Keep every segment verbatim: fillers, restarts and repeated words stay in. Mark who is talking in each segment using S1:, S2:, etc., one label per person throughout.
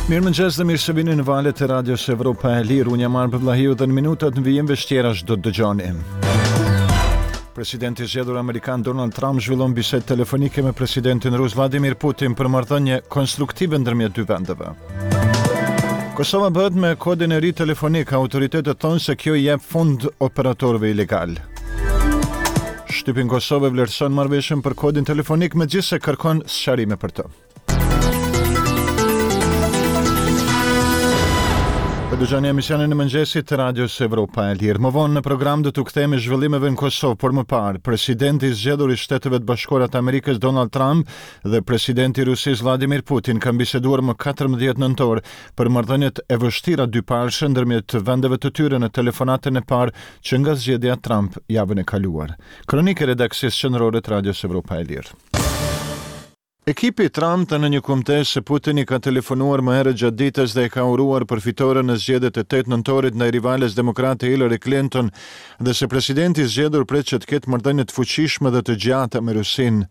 S1: Mirëmëngjes dhe mirë se vini në valet e Radios Evropa e Lirë. Unë jam Arbër Vllahiu dhe në minutat në vijim veç tjerash do të dëgjoni. Presidenti i zgjedhur amerikan Donald Trump zhvillon bisedë telefonike me presidentin rus Vladimir Putin për marrëdhënie konstruktive ndërmjet dy vendeve. Kosova bëhet me kodin e ri telefonik, autoritetet thonë se kjo i jep fund operatorëve ilegal. Shtypi në Kosovë vlerëson marrëveshjen për kodin telefonik, megjithëse kërkon sqarime për të. Po dëgjoni emisionin e mëngjesit të Radios Evropa e Lirë. Më vonë në program do t'u kthehemi zhvillimeve në Kosovë, por më parë, presidenti i zgjedhur i Shteteve të Bashkuara të Amerikës Donald Trump dhe presidenti i Rusisë Vladimir Putin kanë biseduar më katërmbëdhjetë nëntor për marrëdhëniet e vështira dypalëshe ndërmjet vendeve të tyre në telefonatën e parë që nga zgjedhja Trump javën e kaluar. Kronikë e redaksisë qendrore të Radios Evropa e Lirë. Ekipi i Trump tha në një kumtesë se Putin i ka telefonuar më herët gjatë ditës dhe e ka uruar për fitoren në zgjedhjet e tetë nëntorit ndaj rivales demokrate Hillary Clinton dhe se presidenti i zgjedhur pret që të ketë marrëdhënie të fuqishme dhe të gjata me Rusinë.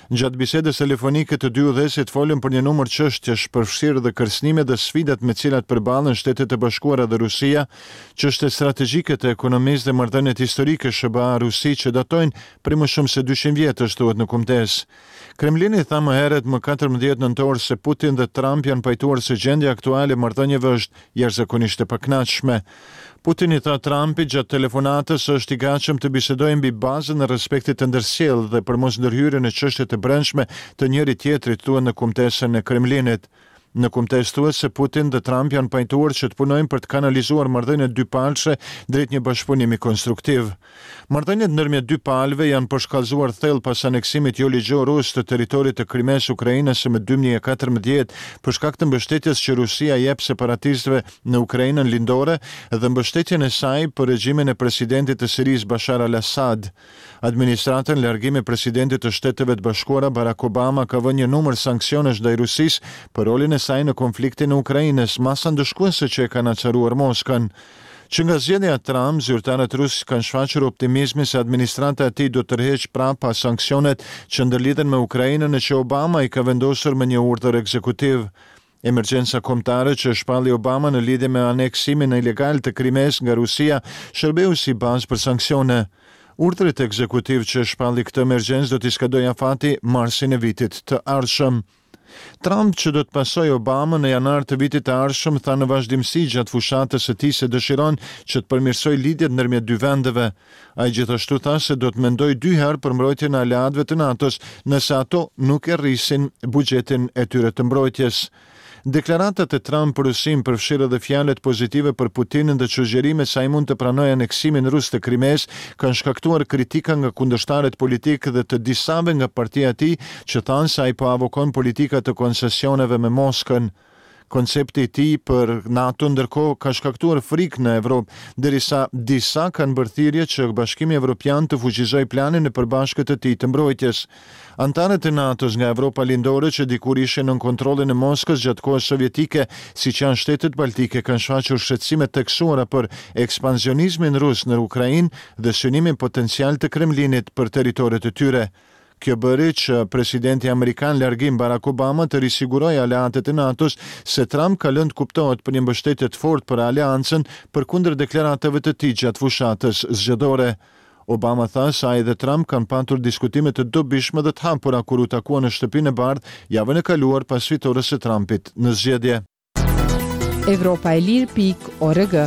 S1: Gjatë bisedës telefonike të dy udhëheqësit folën për një numër çështjesh, përfshirë dhe kërcënimet dhe sfidat me cilat përballen Shtetet e Bashkuara dhe Rusia, çështjet strategjike të ekonomisë dhe marrëdhëniet historike S H B A-Rusi që datojnë prej më shumë se dyqind vjetësh, thuhet në kumtesë. Kremlini tha më herët më katërmbëdhjetë nëntor se Putin dhe Trump janë pajtuar se gjendja aktuale e marrëdhënieve është jashtëzakonisht e pakënaqshme. Putin i tha Trumpit gjatë telefonatës se është i gatshëm të bisedojë mbi bazën e respektit të ndërsjellë dhe për mos ndërhyrje në çështjet e brendshme të njëri tjetrit, thuhet në kumtesën e Kremlinit. Në kumtesë thuhet se Putin dhe Trump janë pajtuar që të punojnë për të kanalizuar marrëdhëniet dypalëshe drejt një bashkëpunimi konstruktiv. Marrëdhëniet ndërmjet dy palëve janë përshkallëzuar thellë pas aneksimit jo ligjor rus të territorit të Krimesë Ukrainës më dy mijë e katërmbëdhjetë, për shkak të mbështetjes që Rusia jep separatistëve në Ukrainën lindore dhe mbështetjen e saj për regjimin e presidentit të Sirisë Bashar al-Assad. Administratën në largim e presidentit të Shteteve të Bashkuara Barack Obama ka vënë një numër sanksionesh ndaj Rusisë për rolin e saj në konfliktin e Ukrainës, masa ndëshkuese që e kanë acaruar Moskën. Që nga zgjedhja e Trump, zyrtarët rusë kanë shfaqur optimizmin se administrata e tij do të tërheqë prapa sanksionet që ndërlidhen me Ukrainën e që Obama i ka vendosur me një urdhër ekzekutiv. Emergjenca kombëtare që shpalli Obama në lidhje me aneksimin ilegal të Krimesë nga Rusia shërbeu si bazë për sanksione. Urdhrit ekzekutiv që shpalli këtë emergjencë do t'i skadojë afati marsin e vitit të ardhshëm. Trump, që do të pasojë Obama në janar të vitit të ardhshëm, tha në vazhdimësi gjatë fushatës së tij se dëshiron që të përmirësojë lidhjet ndërmjet dy vendeve. Ai gjithashtu tha se do të mendojë dy herë për mbrojtjen e aleatëve të NATO-s nëse ato nuk e rrisin buxhetin e tyre të mbrojtjes. Deklaratat e Trump për Rusinë përfshirë edhe fjalët pozitive për Putinin dhe sugjerimet se ai mund të pranojë aneksimin rus të Krimesë kanë shkaktuar kritika nga kundërshtarët politikë dhe të disave nga partia e tij që thanë se ai po avokon politika të koncesioneve me Moskën. Koncepti i tij për NATO ndërkohë ka shkaktuar frikë në Evropë, derisa disa kanë bërë thirrje që Bashkimi Evropian të fuqizojë planin e përbashkët të tij të mbrojtjes. Antarët e NATO-s nga Evropa Lindore që dikur ishin nën kontrollin e Moskës gjatë kohës sovjetike, siç janë shtetet baltike, kanë shfaqur shqetësime të theksuara për ekspansionizmin rus në Ukrainë dhe synimin potencial të Kremlinit për territoret e tyre. Kjo bëri që presidenti amerikan largim Barack Obama të risigurojë aleatët e NATO-s se Trump ka lënë të kuptohet për një mbështetje të fortë për aleancën përkundër deklaratave të tij gjatë fushatës zgjedhore. Obama tha se ai dhe Trump kanë patur diskutime të dobishme dhe të hapura kur u takuan në Shtëpinë e Bardhë javën e kaluar pas fitores së Trumpit në zgjedhje.
S2: Evropa e Lirë pikë org.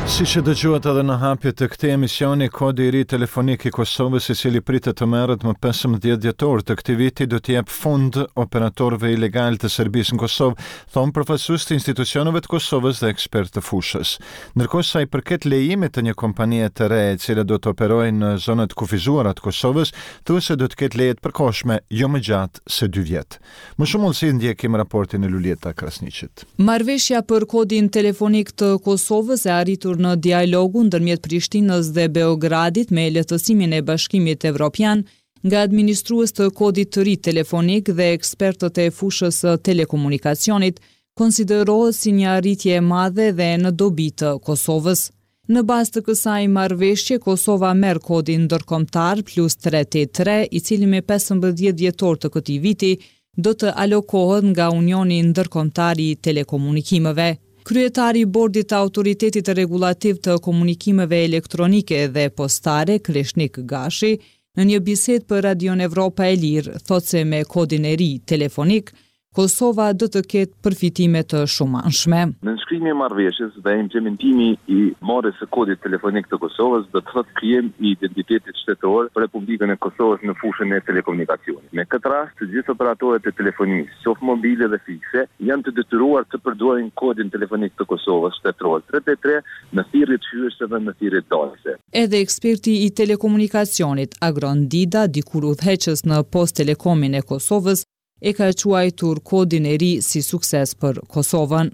S1: Si që dëgjuat edhe në hapje të këtij emisioni, kodi i ri telefonik i Kosovës, i cili pritet të merret më pesëmbëdhjetë dhjetor të këtij viti, do t'i jep fund operatorëve ilegal të Serbisë në Kosovë, thonë përfaqësues të institucioneve të Kosovës dhe ekspertë të fushës. Ndërkohë sa i përket lejimit të një kompanie të re, e cila do të operojë në zonat kufizuara të Kosovës, thuhet se do të ketë leje të përkohshme jo më gjatë se dy vjet. Më shumë hollësi ndjekim raportin e Luljeta Krasniqit.
S2: Marrëveshja për kodin telefonik të Kosovës e arritur në dialogun ndërmjet Prishtinës dhe Beogradit me lehtësimin e Bashkimit Evropian nga administrues të kodit të ri telefonik dhe ekspertët e fushës së telekomunikacionit konsiderohet si një arritje e madhe dhe në dobi të Kosovës. Në bazë të kësaj marrëveshje, Kosova merr kodin ndërkombëtar plus tre tetë tre, i cili me pesëmbëdhjetë dhjetor të këtij viti do të alokohet nga Unioni Ndërkombëtar i Telekomunikimeve. Kryetari i Bordit të Autoritetit Rregullativ të Komunikimeve Elektronike dhe Postare, Kreshnik Gashi, në një bisedë për Radion Evropa e Lirë, thotë se me kodin e ri telefonik, Kosova do të ketë përfitime të shumanshme.
S3: Nënshkrimi i marrëveshjes dhe implementimi i marrjes së kodit telefonik të Kosovës do të thotë krijim i identitetit shtetëror për Republikën e Kosovës në fushën e telekomunikacionit. Me këtë rast, të gjithë operatorët e telefonisë, qoftë mobile dhe fikse, janë të detyruar të përdorin kodin telefonik të Kosovës shtetëror tre tetë tre në thirrjet hyrëse dhe në thirrjet dalëse.
S2: Edhe eksperti i telekomunikacionit Agron Dida, dikur udhëheqës në Post Telekomin e Kosovës, e ka quajtur kodin e ri si sukses për Kosovën.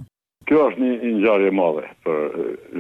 S4: Kjo është një ngjarje e madhe për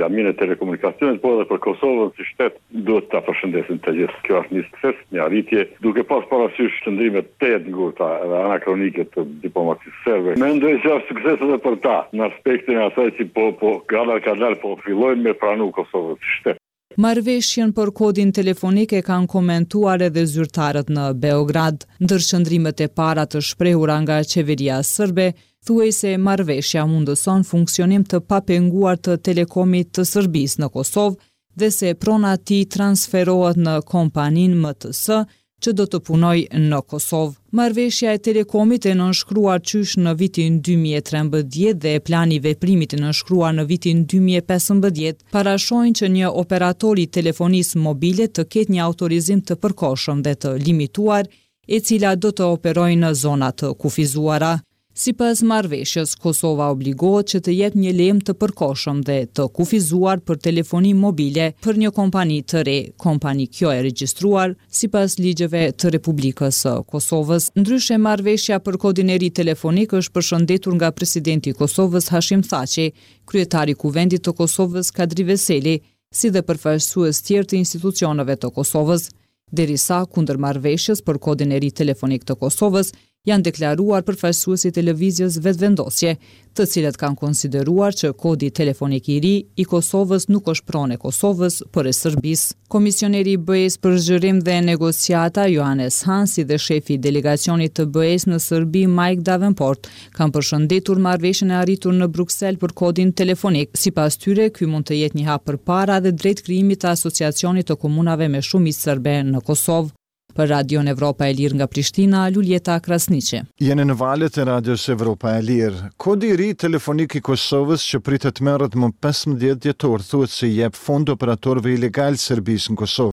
S4: laminë e telekomunikacionit, por edhe për Kosovën si shtet duhet ta përshëndesim të gjithë. Kjo është një sukses, një arritje, duke pas parasysh qëndrimet tejet ngurta edhe anakronike të diplomacisë serbe. Mendoj se është sukses edhe për ta, në aspektin e asaj që po, po kadal kadal po fillojnë me pranu Kosovën si shtet.
S2: Marrëveshjen për kodin telefonik e kanë komentuar edhe zyrtarët në Beograd. Ndër qëndrimet e para të shprehura nga qeveria serbe, thuhej se marrëveshja mundëson funksionim të papenguar të Telekomit të Serbisë në Kosovë dhe se prona e tij transferohet në kompaninë M T S që do të punojë në Kosovë. Marrëveshja e Telekomit e nënshkruar qysh në vitin dy mijë e trembëdhjetë dhe plani i veprimit e nënshkruar në vitin dy mijë e pesëmbëdhjetë parashojnë që një operator i telefonisë mobile të ketë një autorizim të përkohshëm dhe të limituar, e cila do të operojë në zona të kufizuara. Sipas marrëveshjes, Kosova obligohet që të jep një lejim të përkohshëm dhe të kufizuar për telefoni mobile për një kompani të re, kompani kjo e regjistruar sipas ligjeve të Republikës së Kosovës. Ndryshe, marrëveshja për kodin e ri telefonik është përshëndetur nga presidenti i Kosovës Hashim Thaçi, kryetari i Kuvendit të Kosovës Kadri Veseli, si dhe përfaqësues tjerë të institucioneve të Kosovës. Derisa kundër marrëveshjes për kodin e ri telefonik të Kosovës janë deklaruar përfaqësuesit e lëvizjes Vetëvendosje, të cilët kanë konsideruar që kodi telefonik i ri i Kosovës nuk është pronë e Kosovës, por e Serbisë. Komisioneri i B E-s për zgjerim dhe negociata Johannes Hahn si dhe shefi i delegacionit të B E-s në Serbi Mike Davenport kanë përshëndetur marrëveshjen e arritur në Bruksel për kodin telefonik. Sipas tyre, ky mund të jetë një hap përpara dhe drejt krijimit të Asociacionit të Komunave me Shumicë Serbe në Kosovë. Për Radion Evropa e Lirë nga Prishtina, Luljeta Krasniqi.
S1: Jeni në valët e Radios Evropa e Lirë. Kodi i ri telefonik i Kosovës që pritet merret më pesëmbëdhjetë dhjetor thuhet se i jep fond operatorëve ilegal Serbisë në Kosovë.